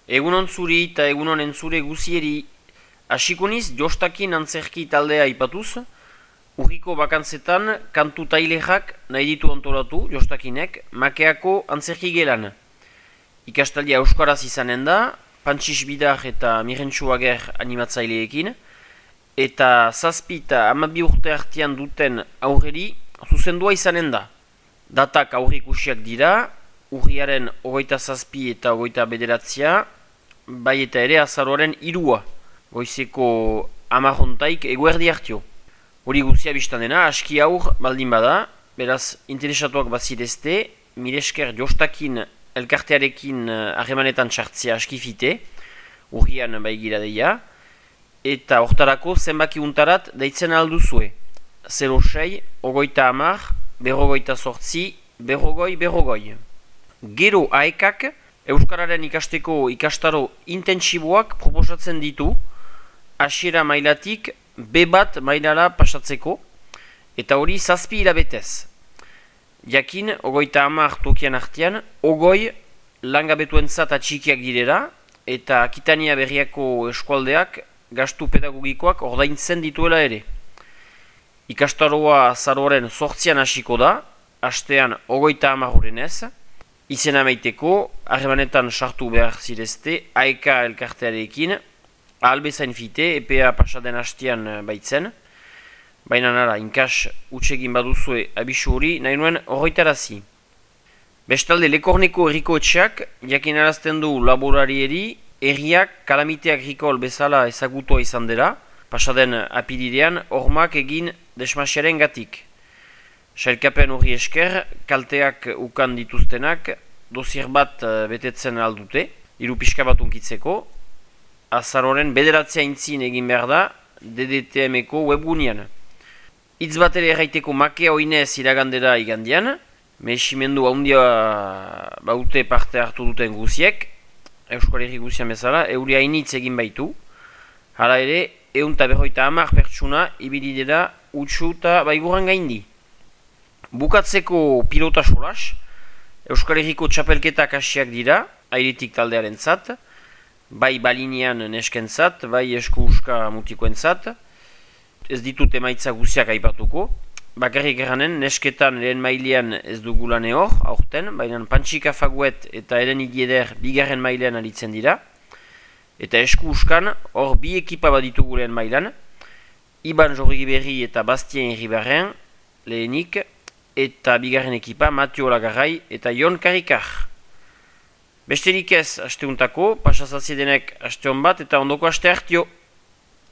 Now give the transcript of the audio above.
Egunon zuri eta egunon entzure guzieri. Asikuniz jostakin antzerki taldea ipatuz, urriko bakantzetan kantu tailexak nahi ditu antolatu jostakinek makeako antzerki gelan. Ikastaldia euskaraz izanen da, Pantxis Bidar eta Mirentxu Ager animatzaileekin, eta 7 eta 12 urte artean duten aurreri zuzendua izanen da. Datak aurrikusiak dira, urriaren 27 eta 29, bai eta ere azaroaren 3, goizeko 10 eguerdi hartio. Hori guzia biztan dena, aski aur baldin bada, beraz interesatuak bazirezte, miresker jostakin elkartearekin harremanetan txartzea askifite, urrian bai gira deia, eta hortarako zenbaki untarat deitzen alduzue. 06, 30, 48, berrogoi. Gero aekak, Euskararen ikasteko ikastaro intentsiboak proposatzen ditu, hasiera mailatik B1 mailara pasatzeko, eta hori 7 hilabetez. Jakin, 30 tokian artean, 20 langabetuentzat atxikiak direla, eta Akitania Berriako eskualdeak gastu pedagogikoak ordaintzen dituela ere. Ikastaroa azaroaren 8an hasiko da, hastean 30 urenez, izena maiteko, harremanetan sartu behar zirezte, AEK elkartearekin, ahalbezain fite, EPA pasaden hastean baitzen, baina nara, inkas utsegin baduzue abisu hori, nahi nuen horretarazi. Bestalde, Lekorneko herriko etxeak, jakinarazten du laborarieri, herriak kalamite agrikol bezala ezagutua izan dela, pasaden apiridean, hormak egin desmasiaren gatik. Sailkapen hori esker, kalteak ukan dituztenak, dosier bat betetzen aldute, hiru pixka bat unkitzeko, azaroren 9 aintzin egin behar da, DDTM-eko webgunean. Hitz bat ere erraiteko makea oinez iragandera igandian, mehiximendu handia baute parte hartu duten guziek, Euskal Herri guzian bezala, euri hainitz egin baitu, hala ere, 150 pertsuna ibilidera utxu eta baiguran gaindi. Bukatzeko pilota solas, Euskal Herriko txapelketak hasiak dira, airetik taldearen zat, bai balinean nesken zat, bai esku-uska mutikoen zat, ez ditut emaitza guziak aipatuko, bakarrik eranen nesketan lehen mailean ez dugulane hor, aurten, baina Pantxika Faguet eta Eren Igieder bigarren mailean aritzen dira, eta esku-uskan hor bi ekipa baditugu lehen mailan, Iban Jorriberri eta Bastien Irribarren lehenik, eta bigarren ekipa Matio Lagarrai eta Jon Karikar. Besterik ez asteuntako, pasazaziedenek asteon bat eta ondoko aste hartio.